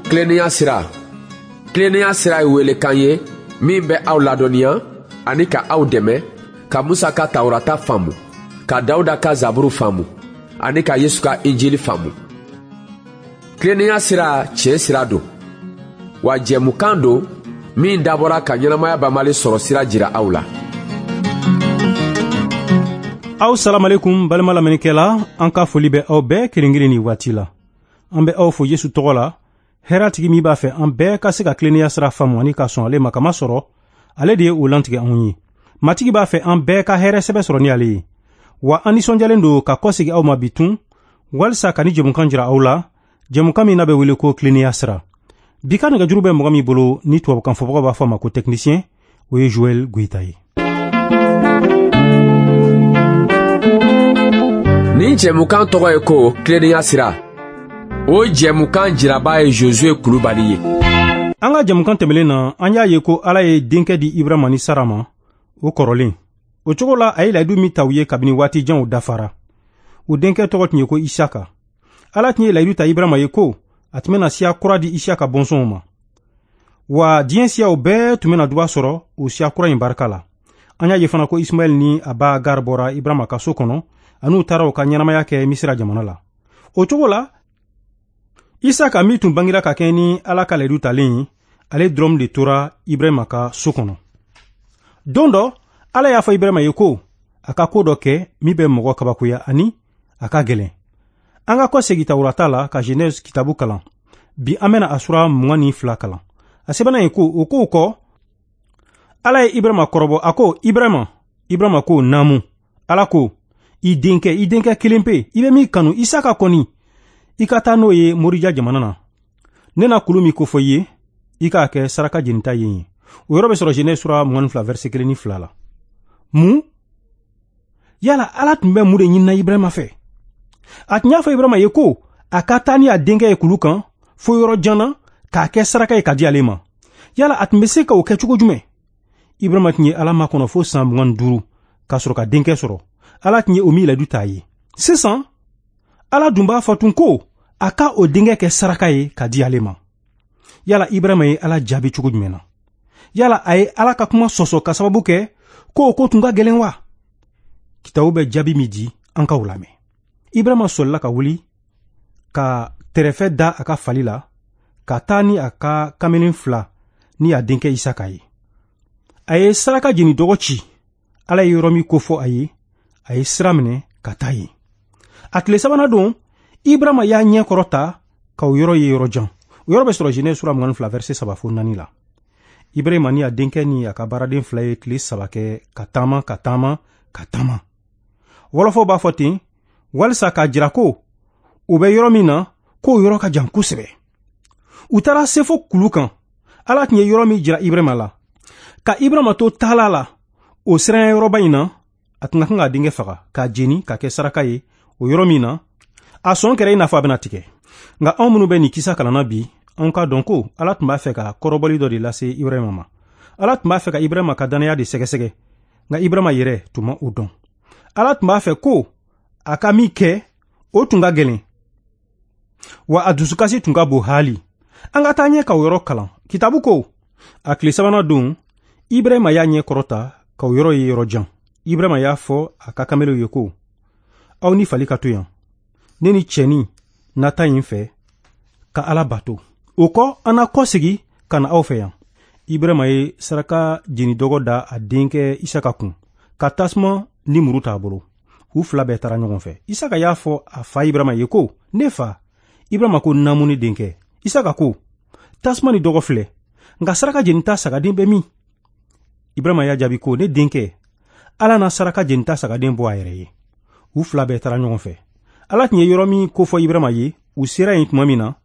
Tilennenya sira. Tilennenya sira ye welekan ye min bɛ aw ladɔnniya ani ka aw dɛmɛ ka Musa ka Tawurata faamu, ka Dawuda ka Zaburu faamu ani ka Yesu ka Injili faamu. Tilennenya sira tiɲɛ sira don, wa jɛmukan don min dabɔra ka ɲɛnamaya banbali sɔrɔ sira jira aw la. Aw salamalekum balima lamɛnnikɛla, an ka foli bɛ aw bɛɛ kelen kelen nin waati la. An bɛ aw fo Yesu tɔgɔ la, hɛrɛtigi min b'a fɛ an bɛɛ ka se ka tilennenya sira faamu ani ka sɔn ale ma kama sɔrɔ, ale de ye o lantigɛ anw ye. Matigi b'a fɛ an bɛɛ ka hɛrɛ sɛbɛ sɔrɔ ni ale ye. Wa an nisɔndiyalen don ka kɔsegi aw ma bi tun, walisa ka ni jɛmukan jira aw la, jɛmukan min n'a bɛ wele ko tilennenya sira. Bi ka nɛgɛjuru bɛ mɔgɔ min bolo ni tubabukan fɔbagaw b'a fɔ a ma ko technicien, o ye Joël Goïta ye. Nin jɛmukan tɔgɔ ye ko tilennenya sira. O jɛmukan jiraba ye Josué Kulubali ye. An ka jɛmukan tɛmɛlen na, an y'a ye ko Ala ye denkɛ di Ibrahima ni Sara ma, o kɔrɔlen. O cogo la, a ye layidu min ta u ye kabini waati janw dafara. O denkɛ tɔgɔ tun ye ko Isaka. Ala tun ye layidu ta Ibrahima ye ko a tun bɛna siya kura di Isaka bɔnsɔnw ma. Wa diɲɛ siyaw bɛɛ tun bɛna duba sɔrɔ o siya kura in barika la. An y'a ye fana ko Ismaɛl ni a ba Agar bɔra Ibrahima ka so kɔnɔ, an'u taara u ka ɲɛnamaya kɛ Misira jamana la. O cogo la, Isaka min tun bangira ka kɛ ni Ala ka layidu talen ye, ale dɔrɔn de tora Ibrahima ka so kɔnɔ. Don dɔ, Ala y'a fɔ Ibrahima ye ko a ka ko dɔ kɛ min bɛ mɔgɔ kabakoya ani a ka gɛlɛn. An ka kɔsegin Tawurata la ka Genèse kitabu kalan. Bi an bɛna a sura 22 kalan. A sɛbɛnna yen ko o kow kɔ, Ala ye Ibrahima kɔrɔbɔ, a ko Ibrahima, Ibrahima ko naamu. Ala ko i denkɛ, i denkɛ kelen pe, i bɛ min kanu, Isaka kɔni, i ka taa n'o ye Morija jamana na. Ne na kulu min kofɔ i ye, i k'a kɛ saraka jenita ye yen. O yɔrɔ bɛ sɔrɔ Genèse sura 22 verset 1 ni 2 la. Mun? Yala Ala tun bɛ mun de ɲinina Ibrahima fɛ? A tun y'a fɔ Ibrahima ye ko a ka taa ni a denkɛ ye kulu kan fo yɔrɔ jan na k'a kɛ saraka ye ka di ale ma. Yala a tun bɛ se ka o kɛ cogo jumɛn? Ibrahima tun ye Ala makɔnɔ fo san 25 ka sɔrɔ ka denkɛ sɔrɔ. Ala tun ye o min layidu t'a ye. Sisan, Ala dun b'a fɔ tun ko a ka o denkɛ kɛ saraka ye ka di ale ma. Yala Ibrahima ye Ala jaabi cogo jumɛn na? Yala a ye Ala ka kuma sɔsɔ ka sababu kɛ ko o ko tun ka gɛlɛn wa? Kitabu bɛ jaabi min di, an k'aw lamɛn. Ibrahima sɔlila ka wuli ka tɛrɛfɛ da a ka fali la ka taa ni a ka kamalen fila ni a denkɛ Isaka ye. A ye saraka jeni dɔgɔ ci. Ala ye yɔrɔ min kofɔ a ye, a ye sira minɛ ka taa yen. A tile sabanan don, Ibrahima y'a ɲɛ kɔrɔta ka o yɔrɔ ye yɔrɔ jan. O yɔrɔ bɛ sɔrɔ Genèse sura 22 verset 3 fo 4 la. Ibrahima ni a denkɛ ni a ka baaraden fila ye tile saba kɛ ka taama ka taama ka taama. Wɔlɔfɔw b'a fɔ ten walisa k'a jira ko u bɛ yɔrɔ min na, k'o yɔrɔ ka jan kosɛbɛ. U taara se fo kulu kan. Ala tun ye yɔrɔ min jira Ibrahima la. Ka Ibrahima to taala la o siranya yɔrɔba in na, a tun ka kan k'a denkɛ faga k'a jeni k'a kɛ saraka ye o yɔrɔ min na, a sɔn kɛra i n'a fɔ a bɛna tigɛ. Nka anw minnu bɛ nin kisa kalanna bi, anw k'a dɔn ko Ala tun b'a fɛ ka kɔrɔbɔli dɔ de lase Ibrahima ma. Ala tun b'a fɛ ka Ibrahima ka dannaya de sɛgɛsɛgɛ, nka Ibrahima yɛrɛ tun ma o dɔn. Ala tun b'a fɛ ko a ka min kɛ, o tun ka gɛlɛn, wa a dusukasi tun ka bon haali. An ka taa ɲɛ ka o yɔrɔ kalan. Kitabu ko, a tile sabanan don, Ibrahima y'a ɲɛ kɔrɔta ka o yɔrɔ ye yɔrɔ jan. Ibrahima y'a fɔ a ka kamelenw ye ko, aw ni fali ka to yan, ne ni cɛnin na taa yen fɛ ka Ala bato. O kɔ, an na kɔsegi ka na aw fɛ yan. Ibrahima ye saraka jeni dɔgɔ da a denkɛ Isaka kun, ka tasuma ni muru t'a bolo. U fila bɛɛ taara ɲɔgɔn fɛ. Isaka y'a fɔ a fa Ibrahima ye ko, ne fa. Ibrahima ko, naamu ne denkɛ. Isaka ko, tasuma ni dɔgɔ filɛ, nka saraka jenita sagaden bɛ min? Ibrahima y'a jaabi ko, ne denkɛ, Ala na saraka jenita sagaden bɔ a yɛrɛ ye. U fila bɛɛ taara ɲɔgɔn fɛ. Ala tun ye yɔrɔ min kofɔ Ibrahima ye, u sera yen tuma min na,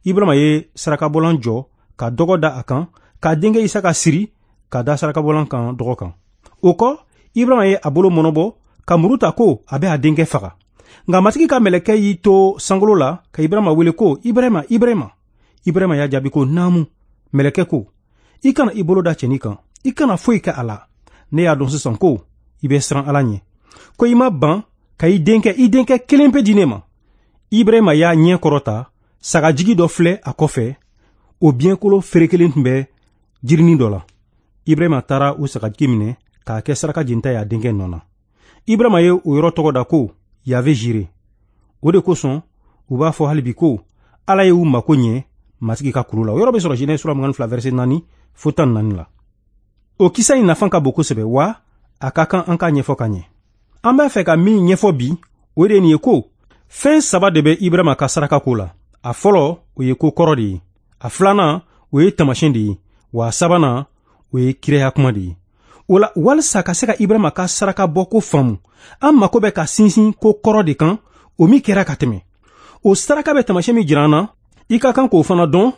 Ibrahima ye sarakabɔlan jɔ ka dɔgɔ da a kan, k'a denkɛ Isaka siri ka da sarakabɔlan kan dɔgɔ kan. O kɔ, Ibrahima ye a bolo mɔnɔbɔ ka muru ta ko a bɛ a denkɛ faga. Nka Matigi ka mɛlɛkɛ y'i to sankolo la ka Ibrahima wele ko, Ibrahima, Ibrahima. Ibrahima y'a jaabi ko, naamu. Mɛlɛkɛ ko, i kana i bolo da cɛnin kan, i kana foyi kɛ a la. Ne y'a dɔn sisan ko i bɛ siran Ala ɲɛ, ko i ma ban ka i denkɛ kelen pe di ne ma. Ibrahima y'a ɲɛ kɔrɔta, sagajigi dɔ filɛ a kɔfɛ. O biɲɛkolo ferekelen tun bɛ jirinin dɔ la. Ibrahima taara o sagajigi minɛ k'a kɛ saraka jenita ye a denkɛ nɔ na. Ibrahima ye o yɔrɔ tɔgɔ da ko Yave Jire. O de kosɔn u b'a fɔ hali bi ko Ala ye u mako ɲɛ Matigi ka kulu la. O yɔrɔ bɛ sɔrɔ Genèse sura 22 verset 4 fo 14 la. O kisa in nafa ka bon kosɛbɛ, wa a ka kan an k'a ɲɛfɔ ka ɲɛ. An b'a fɛ ka min ɲɛfɔ bi, o de ye nin ye ko fɛn saba de bɛ Ibrahima ka saraka ko la. A fɔlɔ, o ye ko kɔrɔ de ye. A filanan, o ye taamasiyɛn de ye. Wa a sabanan, o ye kiraya kuma de ye. O la, walisa ka se ka Ibrahima ka saraka bɔ ko faamu, an mako bɛ ka sinsin ko kɔrɔ de kan, o min kɛra ka tɛmɛ. O saraka bɛ taamasiyɛn min jira an na, i ka kan k'o fana dɔn,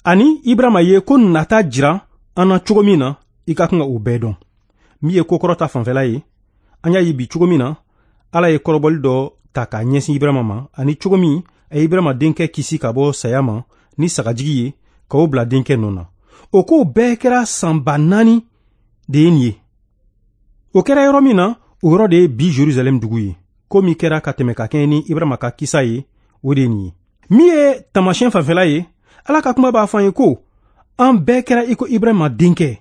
ani Ibrahima ye ko nata jira an na cogo min na, i ka kan ka o bɛɛ dɔn. Min ye ko kɔrɔ ta fanfɛla ye, an y'a ye bi cogo min na, Ala ye kɔrɔbɔli dɔ ta k'a ɲɛsin Ibrahima ma, ani cogo min a ye Ibrahima denkɛ kisi ka bɔ saya ma ni sagajigi ye, k'o bila denkɛ nɔ na. O kow bɛɛ kɛra san 4000 de ye nin ye. O kɛra yɔrɔ min na, o yɔrɔ de ye bi Jerusalɛm dugu ye. Ko min kɛra ka tɛmɛ ka kɛɲɛ ni Ibrahima ka kisa ye, o de ye nin ye. Min ye taamasiyɛn fanfɛla ye, Ala ka kuma b'a fɔ an ye ko an bɛɛ kɛra i ko Ibrahima denkɛ.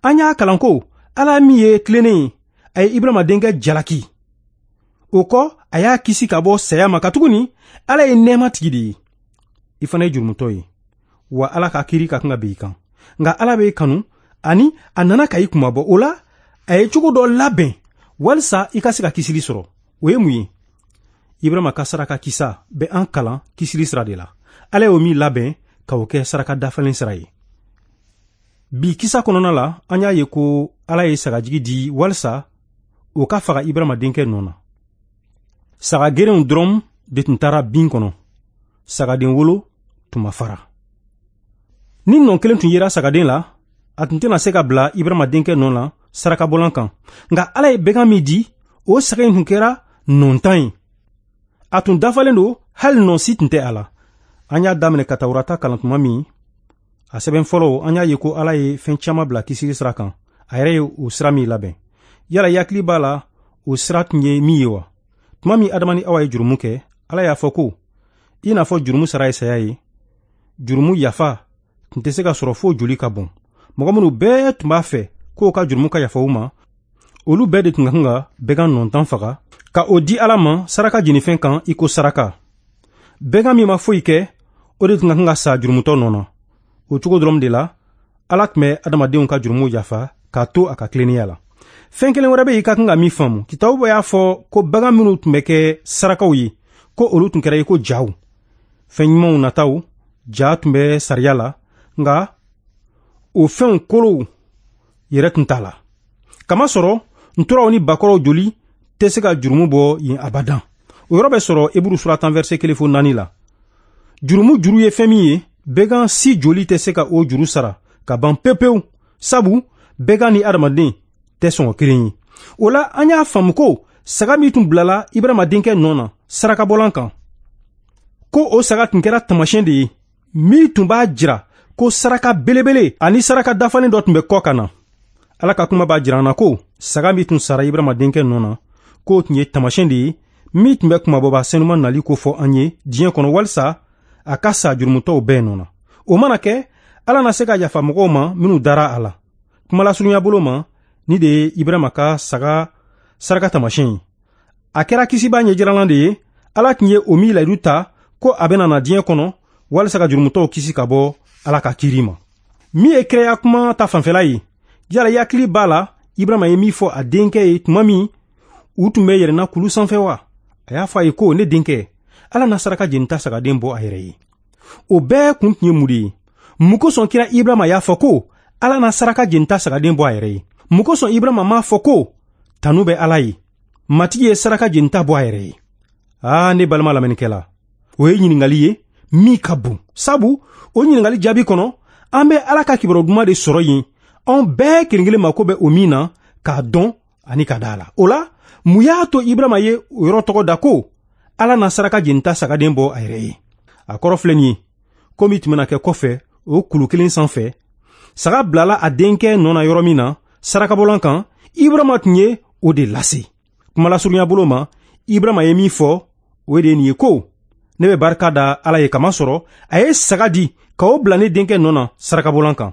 An y'a kalan ko Ala min ye tilennen ye, a ye Ibrahima denkɛ jalaki. O kɔ, a y'a kisi ka bɔ saya ma, katuguni Ala ye nɛɛma tigi de ye. I fana ye jurumutɔ ye, wa Ala ka kiiri ka kan ka bin i kan. Nka Ala b'e kanu, ani a nana ka i kunmabɔ. O la, a ye cogo dɔ labɛn walisa i ka se ka kisili sɔrɔ. O ye mun ye? Ibrahima ka saraka kisa bɛ an kalan kisili sira de la. Ala y'o min labɛn ka o kɛ saraka dafalen sira ye. Bi kisa kɔnɔna la, an y'a ye ko Ala ye sagajigi di walisa o ka faga Ibrahima denkɛ nɔ na. Saga gerenw dɔrɔn de tun taara bin kɔnɔ. Sagaden wolo tun ma fara. Ni nɔ kelen tun yera sagaden la, a tun tɛna se ka bila Ibrahima denkɛ nɔ na sarakabɔlan kan. Nka Ala ye bɛgan min di, o saga in tun kɛra nɔntan ye. A tun dafalen don, hali nɔ si tun tɛ a la. An y'a daminɛ ka Tawurata kalan tuma min, a sɛbɛn fɔlɔ, an y'a ye ko Ala ye fɛn caman bila kisili sira kan. A yɛrɛ ye o sira min labɛn. Yala i hakili b'a la o sira tun ye min ye wa? Tuma min Adama ni Awa ye jurumu kɛ, Ala y'a fɔ ko i n'a fɔ jurumu sara ye saya ye, jurumu yafa tun tɛ se ka sɔrɔ fo joli ka bɔn. Mɔgɔ minnu bɛɛ tun b'a fɛ k'o ka jurumu ka yafa u ma, olu bɛɛ de tun ka kan ka bɛgan nɔntan faga ka o di Ala ma saraka jenifɛn kan i ko saraka. Bɛgan min ma foyi kɛ, o de tun ka kan ka sa jurumutɔ nɔ na. O cogo dɔrɔn de la, Ala tun bɛ adamadenw ka jurumu yafa k'a to a ka tilennenya la. Fɛn kelen wɛrɛ bɛ yen i ka kan ka min faamu. Kitabu y'a fɔ ko bagan minnu tun bɛ kɛ sarakaw ye, ko olu tun kɛra i ko jaw. Fɛn ɲumanw nataw, ja tun bɛ sariya la, nka o fɛnw kolow yɛrɛ tun t'a la. Kamasɔrɔ nturaw ni bakɔrɔw joli tɛ se ka jurumu bɔ yen abadan. O yɔrɔ bɛ sɔrɔ Eburu sura 10 verset 1 fo 4 la. Jurumu juru ye fɛn min ye, bɛgan si joli tɛ se ka o juru sara ka ban pewu pewu, sabu bɛgan ni adamaden tɛ sɔngɔ kelen ye. O la, an y'a faamu ko saga min tun bilala Ibrahima denkɛ nɔ na sarakabɔlan kan, ko o saga tun kɛra taamasiyɛn de ye min tun b'a jira ko saraka belebele ani saraka dafalen dɔ tun bɛ kɔ ka na. Ala ka kuma b'a jira an na ko saga min tun sara Ibrahima denkɛ nɔ na, k'o tun ye taamasiyɛn de ye min tun bɛ kunmabɔba senuman nali ko fɔ an ye diɲɛ kɔnɔ, walisa a ka sa jurumutɔw bɛɛ nɔ na. O mana kɛ, Ala na se ka yafa mɔgɔw ma minnu dara a la. Kumalasurunya bolo ma, ni de ye Ibrahima ka saga saraka taamasiyɛn ye. A kɛra kisibaa ɲɛjiralan de ye. Ala tun ye o min layidu ta ko a bɛna na diɲɛ kɔnɔ walisa ka jurumutɔw kisi ka bɔ Ala ka kiiri ma. Min ye kiraya kuma ta fanfɛla ye, yala i hakili b'a la Ibrahima ye min fɔ a denkɛ ye tuma min u tun bɛ yɛlɛnna kulu sanfɛ wa? A y'a fɔ a ye ko ne denkɛ, Ala na saraka jenita sagaden bɔ a yɛrɛ ye. O bɛɛ kun tun ye mun de ye? Mun kosɔn kira Ibrahima y'a fɔ ko Ala na saraka jenita sagaden bɔ a yɛrɛ ye? Mun kosɔn Ibrahima m'a fɔ ko tanu bɛ Ala ye, Matigi ye saraka jenita bɔ a yɛrɛ ye? Aa, ne balima lamɛnnikɛla, o ye ɲininkali ye min ka bon, sabu o ɲininkali jaabi kɔnɔ, an bɛ Ala ka kibaru duman de sɔrɔ yen, anw bɛɛ kelen kelen mako bɛ o min na k'a dɔn ani ka da a la. O la, mun y'a to Ibrahima ye o yɔrɔ tɔgɔ da ko Ala na saraka jenita sagaden bɔ a yɛrɛ ye? A kɔrɔ filɛ nin ye, ko min tun bɛna kɛ kɔfɛ o kulu kelen sanfɛ, saga bilala a denkɛ nɔ na yɔrɔ min na sarakabɔlan kan, Ibrahima tun ye o de lase. Kumalasurunya bolo ma, Ibrahima ye min fɔ, o de ye nin ye ko Ne bɛ barika da Ala ye kamasɔrɔ a ye saga di ka o bila ne denkɛ nɔ na sarakabolan kan.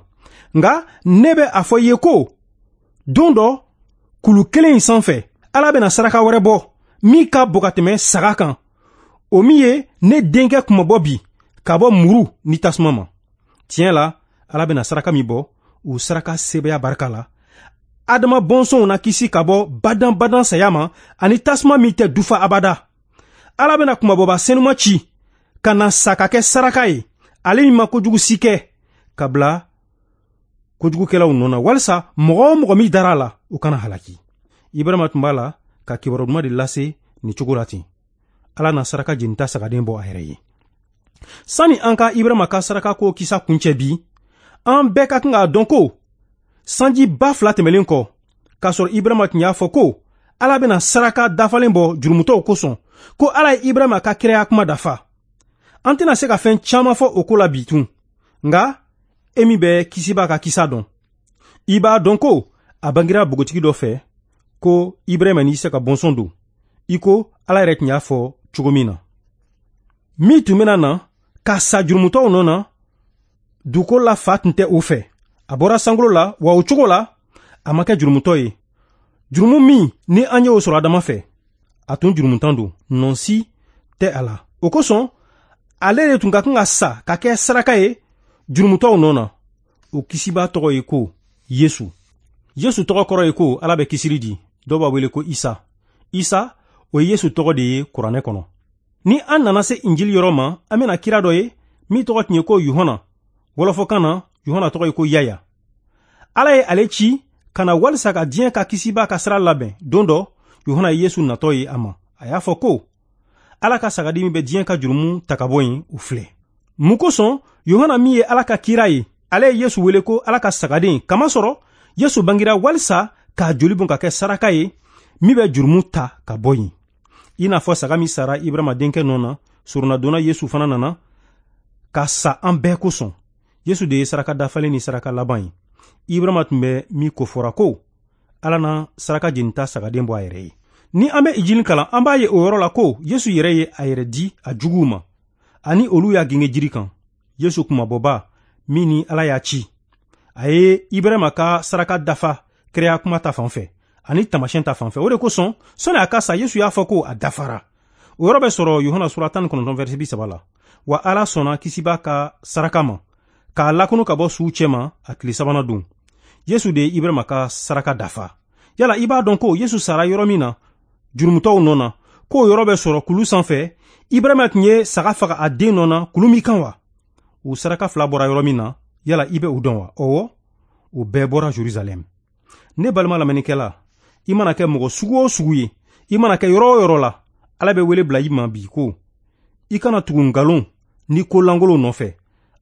Nka ne bɛ a fɔ i ye ko don dɔ kulu kelen in sanfɛ, Ala bɛna saraka wɛrɛ bɔ min ka bon ka tɛmɛ saga kan, o min ye ne denkɛ kunmabɔ bi ka bɔ muru ni tasuma ma. Tiɲɛ la, Ala bɛna saraka min bɔ, o saraka sebaaya barika la, Adama bɔnsɔnw na kisi ka bɔ badan-badan saya ma ani tasuma min tɛ dufa abada. Ala bɛna kunmabɔba senuma ci ka na sa ka kɛ saraka ye, ale min ma kojugu si kɛ, ka bila kojugukɛlaw nɔ na, walisa mɔgɔ o mɔgɔ min dara a la, o kana halaki. Ibrahima tun b'a la ka kibaru duman de lase nin cogo la ten. Ala na saraka jenita sagaden bɔ a yɛrɛ ye. Sani an ka Ibrahima ka saraka ko kisa kuncɛ bi, an bɛɛ ka kan k'a dɔn ko sanji 2000 tɛmɛlen kɔ, k'a sɔrɔ Ibrahima tun y'a fɔ ko Ala bɛna saraka dafalen bɔ jurumutɔw kosɔn, ko Ala ye Ibrahima ka kiraya kuma dafa. An tɛna se ka fɛn caman fɔ o ko la bi tun, nka e min bɛ kisiba ka kisa dɔn, i b'a dɔn ko a bangira npogotigi dɔ fɛ ko Ibrahima ni Isaka bɔnsɔn don, i ko Ala yɛrɛ tun y'a fɔ cogo min na. Min tun bɛna na ka sa jurumutɔw nɔ na, dugukolo la fa tun tɛ o fɛ. A bɔra sankolo la, wa o cogo la a ma kɛ jurumutɔ ye. Jurumu min ni an y'o sɔrɔ Adama fɛ, a tun jurumutan don, nɔ si tɛ a la. O kosɔn ale de tun ka kan ka sa ka kɛ saraka ye jurumutɔw nɔ na. O kisiba tɔgɔ ye ko Yesu. Yesu tɔgɔ kɔrɔ ye ko Ala bɛ kisili di. Dɔw b'a wele ko Isa. Isa, o ye Yesu tɔgɔ de ye kuranɛ kɔnɔ. Ni an nana se Injili yɔrɔ ma, an bɛna kira dɔ ye min tɔgɔ tun ye ko Yohana. Wɔlɔfɔkan na, Yohana tɔgɔ ye ko Yaya. Ala ye ale ci ka na walisa ka diɲɛ ka kisiba ka sira labɛn. Don dɔ, Yohana ye Yesu natɔ ye a ma. A y'a fɔ ko Ala ka sagadi min bɛ diɲɛ ka jurumu ta ka bɔ yen, o filɛ. Mun kosɔn Yohana min ye Ala ka kira ye, ale ye Yesu wele ko Ala ka sagaden, kamasɔrɔ Yesu bangira walisa k'a joli bɔn ka kɛ saraka ye min bɛ jurumu ta ka bɔ yen. I n'a fɔ saga min sara Ibrahima denkɛ nɔ na, soronnadonna Yesu fana nana ka sa an bɛɛ kosɔn. Yesu de ye saraka dafalen ni saraka laban ye. Ibrahima tun bɛ min kofɔra ko Ala na saraka jenita sagaden bɔ a yɛrɛ ye. Ni an bɛ Injili kalan, an b'a ye o yɔrɔ la ko Yesu yɛrɛ ye a yɛrɛ di a juguw ma, ani olu y'a genge jiri kan. Yesu kunmabɔba min ni Ala y'a ci, a ye Ibrahima ka saraka dafa kiraya kuma ta fan fɛ ani taamasiyɛn ta fan fɛ. O de kosɔn sɔnni a ka sa, Yesu y'a fɔ ko a dafara. O yɔrɔ bɛ sɔrɔ Yohana sura 19 verset 30 la. Wa Ala sɔnna kisiba ka saraka ma k'a lakunu ka bɔ suw cɛma a tile sabanan don. Yesu de ye Ibrahima ka saraka dafa. Yala i b'a dɔn ko Yesu sara yɔrɔ min na jurumutɔw nɔ na, k'o yɔrɔ bɛ sɔrɔ kulu sanfɛ, Ibrahima tun ye saga faga a den nɔ na kulu min kan wa? O saraka fila bɔra yɔrɔ min na, yala i bɛ o dɔn wa? Ɔwɔ, o bɛɛ bɔra Jerusalɛm. Ne balima lamɛnnikɛla, i mana kɛ mɔgɔ sugu o sugu ye, i mana kɛ yɔrɔ o yɔrɔ la, Ala bɛ wele bila i ma bi ko i kana tugu nkalon ni ko lankolonw nɔfɛ,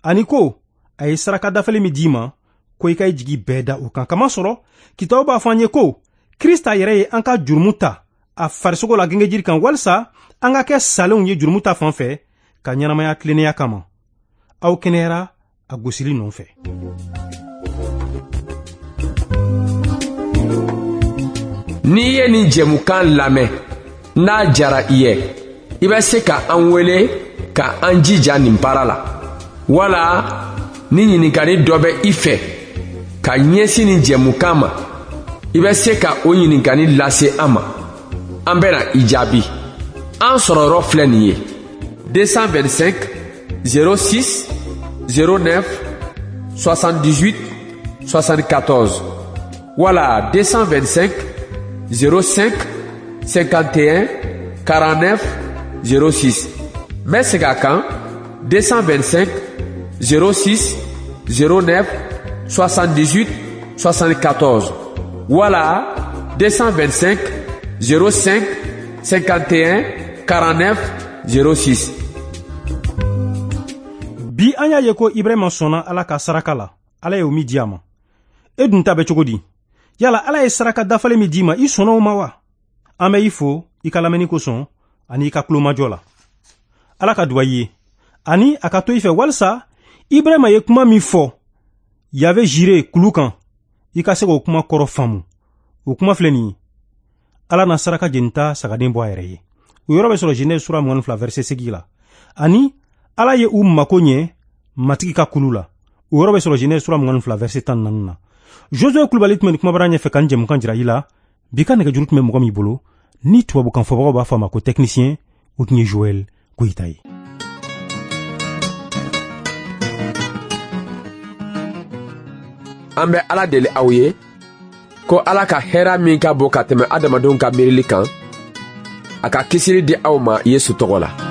ani ko a ye saraka dafalen min d'i ma, ko i ka i jigi bɛɛ da o kan. Kamasɔrɔ kitabu b'a fɔ an ye ko Krista yɛrɛ ye an ka jurumu ta a farisogo la gengejiri kan, walisa an ka kɛ salenw ye jurumu ta fan fɛ ka ɲɛnamaya tilennenya kama. Aw kɛnɛyara a gosili nɔfɛ. N'i ye nin jɛmukan lamɛn, n'a jara i ye, i bɛ se ka an wele ka an jija nin baara la. Wala ni ɲininkali dɔ bɛ i fɛ ka ɲɛsin nin jɛmukan ma, i bɛ se ka o ɲininkali lase an ma. An bɛna i jaabi. An sɔrɔyɔrɔ filɛ nin ye: 225 06 09 78 74 wala 225 05 51 49 06. N bɛ segin a kan: 225 06 09 78 74 wala 225 05 51 49 06. Bi an y'a ye ko Ibrahima sɔnna Ala ka saraka la. Ala ye o min di a ma. E dun ta bɛ cogo di? Yala Ala ye saraka dafalen min d'i ma, i sɔnna o ma wa? An bɛ i fo i ka lamɛnni kosɔn ani i ka tulomajɔ la. Ala ka duba i ye ani a ka to i fɛ, walisa Ibrahima ye kuma min fɔ Yave Jire kulu kan, i ka se k'o kuma kɔrɔ faamu. O kuma filɛ nin ye: Ala na saraka jenita sagaden bɔ a yɛrɛ ye. O yɔrɔ bɛ sɔrɔ Genèse sura 22 verset 8 la. Ani Ala ye u mako ɲɛ Matigi ka kulu la. O yɔrɔ bɛ sɔrɔ Genèse sura 22 verset 14 na. Josue Kulubali tun bɛ nin kumabara ɲɛfɛ ka nin jɛmukan jira i la. Bi ka nɛgɛjuru tun bɛ mɔgɔ min bolo, ni tubabukan fɔbagaw b'a fɔ a ma ko technicien, o tun ye Joël Goyita ye. An bɛ Ala deli aw ye ko Ala ka hɛra min ka bon ka tɛmɛ adamadenw ka miirili kan, a ka kisili di aw ma Yesu tɔgɔ la.